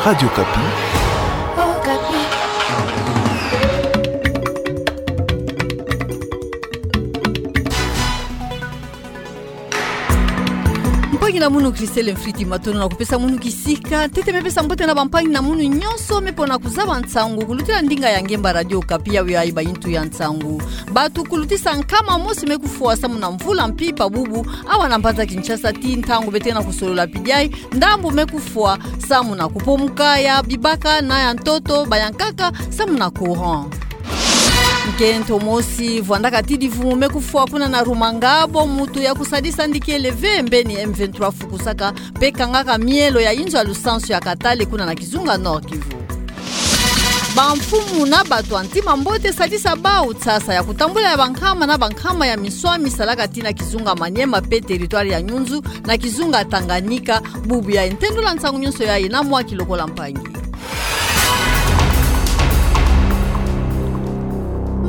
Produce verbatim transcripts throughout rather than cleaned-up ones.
Radio Okapi. Mpangi na munu Christelle Mfriti, matondo na kupesa munu kisika. Ntete me pesa mbote na bampangi na munu nyonso me pona kuzaba nsangu kulutila ndinga ya ngemba Radio Okapi, yawe yayi ba intu ya nsangu. Bato kulutisa nkama mosi me kufwa samu na mvula mpimpa bubu awa na mbanza Kinshasa, tii ntangu beto ke na kusolola pidai, ndambu me kufwa samu na kupomuka ya bibaka na ya ntoto, bayankaka samu na courant. Nkento mosi vwandaka tidi vumu me kufwa kuna na Rumangabo, mutu ya kusadisa ndikele ve mbeni M vingt-trois fukusaka mpe kangaka mielo ya inzo ya lusansu ya Katale kuna na kizunga Nord-Kivu. Bamfumu na bato ya ntima mbote sadisa bawu nsasa ya kutambula ya bankama na bankama ya miswami salaka tii na kizunga Maniema mpe territoire ya Nyunzu na kizunga Tanganyika, bubu yayi. Ntendula nsangu nyonso yayi na mwa kilokola mpangi.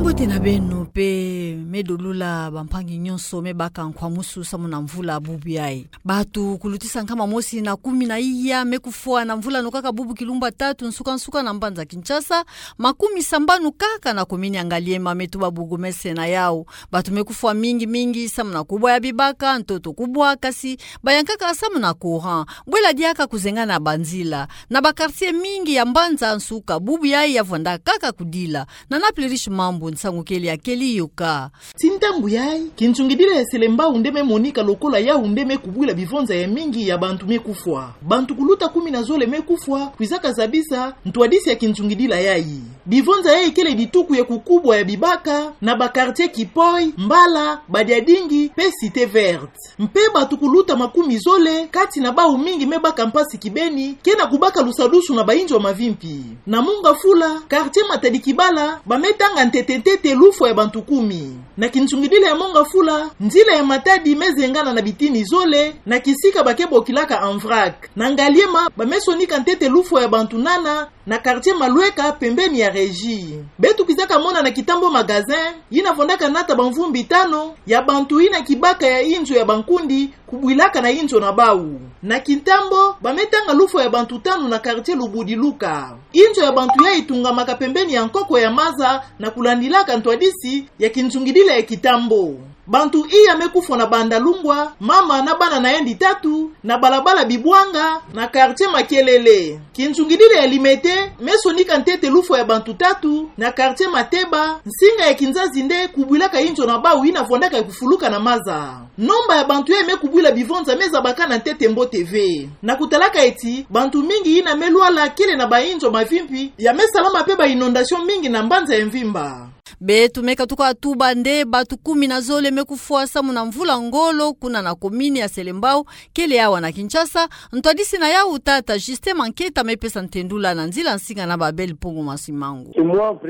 Mbote na beno mpe me dolula bampangi nyonso me baka nkwamusu samu na mvula bubu yayi. Bato kulutisa nkama mosi na kumi na iya me kufwa na mvula no kaka bubu kilumbu tatu nsuka-nsuka na mbanza Kinshasa, makumi sambanu kaka na komini ya Ngaliema me tuba bourgmestre na yawu. Bato me kufwa mingi-mingi samu na kubwa ya bibaka, ntoto kubwa, kasi bayankaka samu na courant. Bwela diaka kuzengana banzila. Na ba quartier mingi ya mbanza nsuka bubu yayi ya vwanda kaka kudila. Na Napoli Riche Mambu, nsangu kele ya keli yoka. Tii ntangu yayi, kinsungidila ya Selembao nde me monika lokola yawu nde me kubwila bivonza ya mingi ya bantu me kufwa. Bantu kuluta kumi na zole me kufwa, kwizaka zabisa ntwadisi ya kinsungidila yayi. Bivonza yayi kele dituku ya kukubwa ya bibaka, na ba quartier Kipoi, Mbala, Badiadingi, mpe Cité Verte. Mpe bato kuluta makumi zole, kati na bawu mingi me baka mpasi kibeni, ke na kubaka lusadusu na ba inzo mavimpi. Na Mont Ngafula, quartier Matadi Kibala, ba me tanga ntete-ntete lufwa ya bantu kumi. Na kinsungidila ya Mont Ngafula, nzila ya Matadi me zengana na bitini zole, na kisika ba ke bokilaka en vrac. Na Ngaliema, ba me sonika ntete lufwa ya bantu nana, na quartier Malweka pembeni ya Régie. Beto kwizaka mona na Kintambo Magasin, yina vwandaka nata bamvumbi tano, ya bantu yina kibaka ya inzo ya bankundi, kubwilaka na inzo na bawu. Na Kintambo, ba me tanga lufwa ya bantu tano na quartier Lubudi Luka. Inzo ya bantu yayi tungamaka pembeni ya nkoko ya maza na kulandilaka ntwadisi ya kinsungidila ya Kintambo. Bantu iya me kufwa na Banda Lungwa, mama na bana na yandi tatu, na balabala Bibwanga, na quartier Makelele. Kinsungidila ya Limete me sonika ntete lufwa ya bantu tatu, na quartier Mateba, nsinga ya kinzazi nde kubwilaka inzo na bawu yina vwandaka ya kufuluka na maza. Nomba ya bantu yayi me kubwila bivonza me zabakana ntete mbote ve. Na kutalaka eti, bantu mingi yina me lwala kele na ba inzo mavimpi, ya me salama mpe ba inondation mingi na mbanza ya mvimba. Beto me katuka tuba nde bato kumi na zole me kufwa samu na mvula ngolo kuna na komini ya Selembao, kele awa na Kinshasa, ntwadisi na yawu tata Justin Manketa me pesa ntendula na nzila nsinga na Babel Mpungu Masimangu.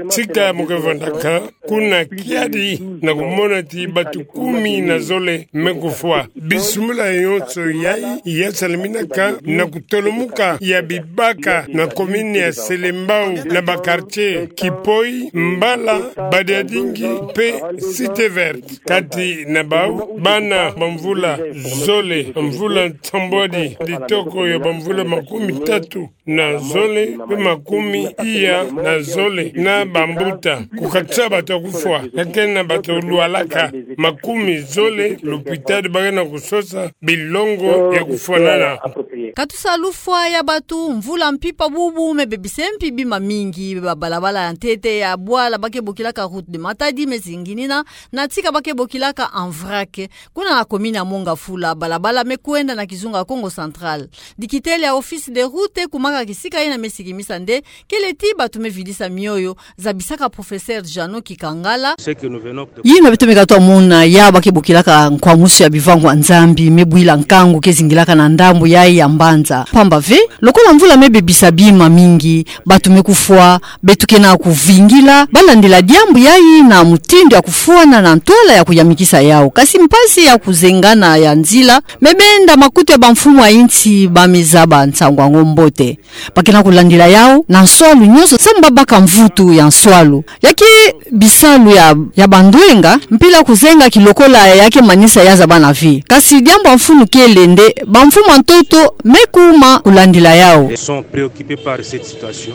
Tika mo ke vwandaka, kuna kiadi na kumona ti bato kumi na zole me kufwa. Bisumbula yonso yayi ya salaminaka na kutolomuka ya bibaka na komini ya Selembao na ba quartier Kipoi, Mbala, Badiadingi mpe Cité Verte. Kati na bawu, bana bamvula zole, mvula nsambwadi, ditoko ya bamvula makumi tatu na zole, mpe makumi iya na zole na bambuta. Kukatisa bato ya kufwa, kake na bato lwalaka makumi zole, lopitali ba ke na kusosa bilongo ya kufwanana. Katusa lufwa ya bato, mvula mpimpa bubu me bebisa mpi bima mingi, ba balabala ya ntete ya bwala ba ke bokilaka route de Matadi me zinginina, na tika ba ke bokilaka en vrac. Kuna na komini ya Mont Ngafula, balabala me kwenda na kizunga Kongo Central. Dikitele ya Office des Routes kumaka kisika yina me sikimisa nde kele ti bato me vidisa mioyo, zabisaka professeur Jeannot Kikangala. Yina beto me katuka mona ya ba ke bokilaka nkwamusu ya bivangu ya Nzambi me bwila nkangu ke zingilaka na ndambu yayi ya mbanza. Pamba ve, lokola mvula me bebisa bima mingi, bato me kufwa, beto ke na kuvingila, ba landila diambu Yai na mutindu ya kufwana na ntwala ya kuyamikisa yau. Kasi mpasi ya kuzengana ya nzila, me benda makutu ya bamfumu ya insi ba mizaba nsangu yango mbote. Ba ke na kulandila yau na nswalu nyonso, samu ba baka mvutu ya nswalu. Ya ke bisalu ya, ya bandwenga, mpila kuzenga ki lokola ya ke manisa ya zabana vi. Kasi diambu ya mfunu kele nde, bamfumu ya ntoto me kuma kulandila yau. Ils sont préoccupés par cette situation.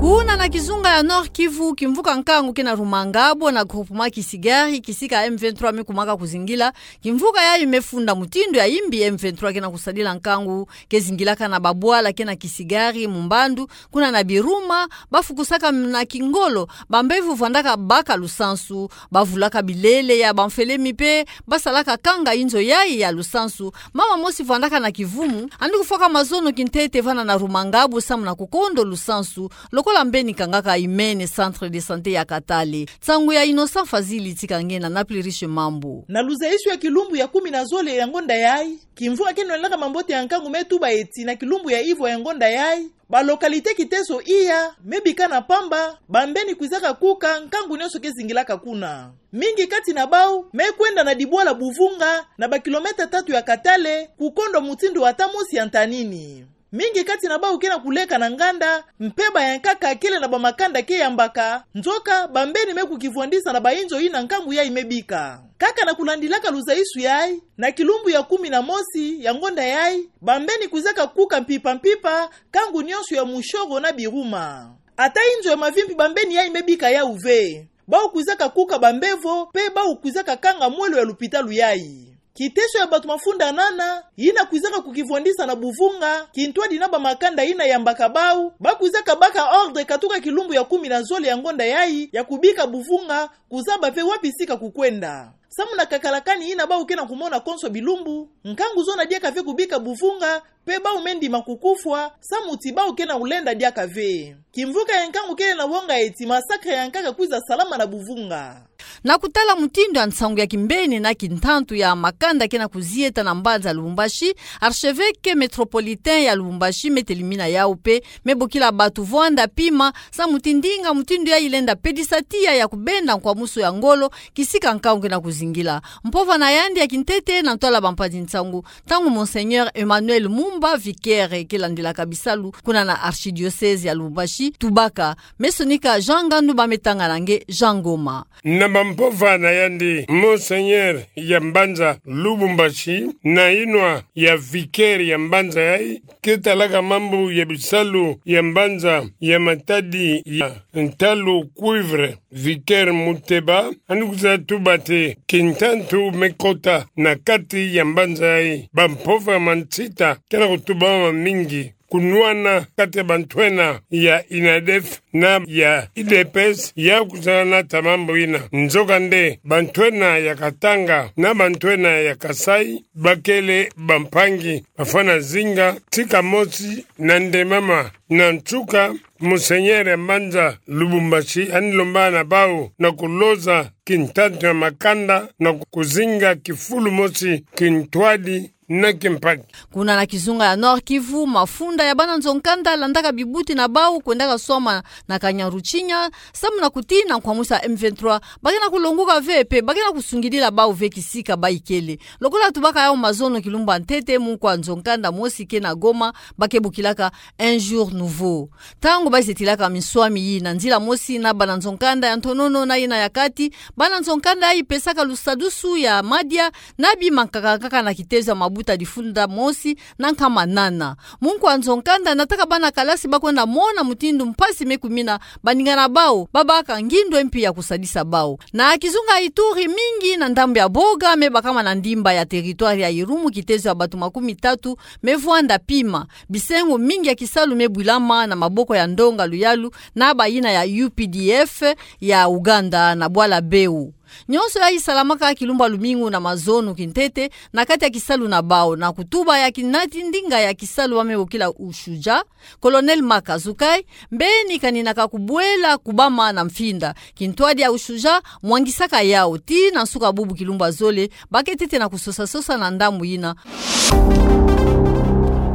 Kuna na kizunga ya Nord-Kivu, kimvuka nkangu ke na Rumangabo na groupement Kisigari, kisika M vingt-trois me kumaka kuzingila. Kimvuka yai me funda mutindu ya imbi M vingt-trois ke na kusadila nkangu, ke zingilaka na babwala ke na Kisigari, Mumbandu, kuna na Biruma, ba fukusaka na kingolo bambevo vwandaka baka lusansu, ba vulaka bilele ya bamfele mi pe, ba salaka kanga inzo yai ya lusansu. Mama mosi vwandaka na kivumu, andi kufwaka mazono kintete vana na Rumangabo samu na kukondo lusansu, lokola mbeni kangaka imene centre de santé ya Katale. Nsangu ya Innocent Fazili tika nge na Napli Riche Mambu. Na luzaisu ya kilumbu ya kumi na zole ya ngonda yai, kimvuka ke nwanaka mambote ya nkangu me tuba eti na kilumbu ya ivwa ya ngonda yai, ba localité Kiteso Iya me bika na pamba, bambeni kwizaka kuka, nkangu nyonso ke zingilaka kuna. Mingi kati na bau me kwenda na dibwala Buvunga, na ba kilomètre tatu ya Katale, kukondo mutindu ata mosi ya ntanini. Mingi kati na bau ke na kuleka na nganda, mpeba ya nkaka kele na bamakanda ke yambaka, nzoka bambeni me kukivwandisa na bainzo yina nkangu yai me bika. Kaka na kulandilaka luzaisu yai, na kilumbu ya kumi na mosi ya ngonda yai, bambeni kwizaka kuka mpimpa mpimpa nkangu nyonso ya Mushoro na Biruma. Ata inzo ya mavimpi bambeni yai me bika yau ve. Bau kwizaka kuka bambevo, pe bau kwizaka kanga mwelo ya lupitalu yai. Kiteso ya bato mafunda nana, yina kwizaka kukivwandisa na Buvunga, kintwadi na bamakanda yina yambaka bau, ba kwizaka baka ordre katuka kilumbu ya kumi na zole ya ngonda yai, ya kubika Buvunga, kuzaba ve wapi sika kukwenda. Samu na kakalakani yina bau ke na kumona konso bilumbu, nkangu zona diaka ve kubika Buvunga, pe bau me ndima kukufwa, samu ti bau ke na kulenda diaka ve. Kimvuka ya nkangu kele na wonga eti massacre ya nkaka kwiza salama na Buvunga. Na kutala mutindu ya nsangu ya kimbeni na kintantu ya makanda ke na kuzieta na mbanza Lubumbashi, archevêque métropolitain ya Lubumbashi me telimina yau pe, me bokila bato vwanda pima, samu ti ndinga mutindu yai lenda pedisa tiya ya kubenda nkwamusu ya ngolo, kisika nkangu ke na kuzingila. Mpova na yandi ya kintete na ntwala bampanzi nsangu, ntangu Monseigneur Emmanuel Mumba, vicaire ke landilaka bisalu kuna na archidiocèse ya Lubumbashi, tubaka. Me sonika Jean Ngandu, ba me tanga na nge Jean Ngoma. Na bampova na yandi, Monseigneur ya mbanza Lubumbashi, na inwa ya vicaire ya mbanza yai, ke talaka mambu ya bisalu ya mbanza ya matadi ya ntalu cuivre, vicaire Muteba, andi kwiza tuba ti kintantu me kota na kati ya mbanza yai. Bampova mansita ke na kutuba mamingi, kunwana kati ya bantwenya ya INADEF na ya UDPS ya kwiza nata mambu yina. Nzokande, bantwenya ya Katanga na bantwenya ya Kasaï, bakele bampangi, bafwana zinga tika mosi na ndemama. Na nsuka, Monseigneur ya mbanza Lubumbashi andi lomba na bau na kuloza kintantu ya makanda na kuzinga kifulu mosi, kintwadi na kimpaki. Kuna na kizunga ya Nord-Kivu, mafunda ya bana nzo-nkanda landaka bibuti na bau kwendaka swama na Kanyaruchinya, samu na kutina nkwamusu ya M vingt-trois, ba ke na kulonguka ve pe ba ke na kusungidila bau ve kisika ba ikele. Lokola tubaka yau mazono kilumbu ya ntete, munkwa nzo-nkanda mosi ke na Goma, ba ke bokilaka Un jour nouveau. Ntangu ba zetilaka minswami yi na nzila mosi na bana nzo-nkanda ya ntonono na yina ya kati, bana nzo-nkanda yai pesaka lusadusu ya madia na bima nkaka nkaka na kitezo ya mabuta difunda mosi na nkama nana. Munkwa nzo-nkanda nataka bana kalasi ba kwenda mona mutindu mpasi me kumina baninga na bau, ba baka ngindu mpi ya kusadisa bau. Na kizunga Ituri, mingi na ndambu ya Boga me bakama na ndimba ya territoire ya Irumu kitezo ya bato makumi tatu me vwanda pima. Bisengo mingi ya kisalu me bwilama na maboko ya ndonga luyalu na bayina ya U P D F ya Uganda na bwala Beu. Nyonso yai salamaka kilumbu ya lumingu na mazono kintete na kati ya kisalu na bau, na kutuba ya kinati ndinga ya kisalu ba me bokila USHUJA, Colonel Marc Azukai, mbeni kaninaka kubwela kubama na mfinda. Kintwadi ya USHUJA mwangisaka yau ti na nsuka bubu kilumbu ya zole, ba ke tete na kusosa-sosa na ndambu yina.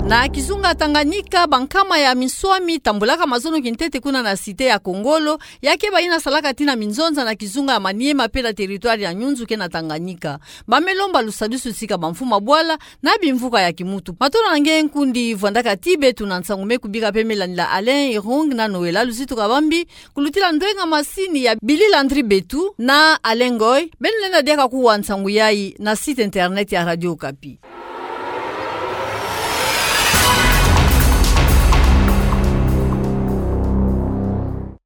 Na kizunga Tanganyika, bankama ya minswami tambulaka mazono kintete kuna na cité ya Kongolo, ya ke baina salaka tina minzonza na kizunga ya Maniema pe na territoire ya Nyunzu ke na Tanganyika. Bame lomba lusadusu tika bamfuma bwala na bimvuka ya kimutu. Matondo na nge nkundi vwandaka ti beto na nsangu me kubika pembeni la Alain Irung na Noëlla Luzitu Kabambi, kulutila ndwenga masini ya Billy Landry Betu na Alain Ngoy. Beno lenda diaka kuwa nsangu yayi na site internet ya Radio Okapi.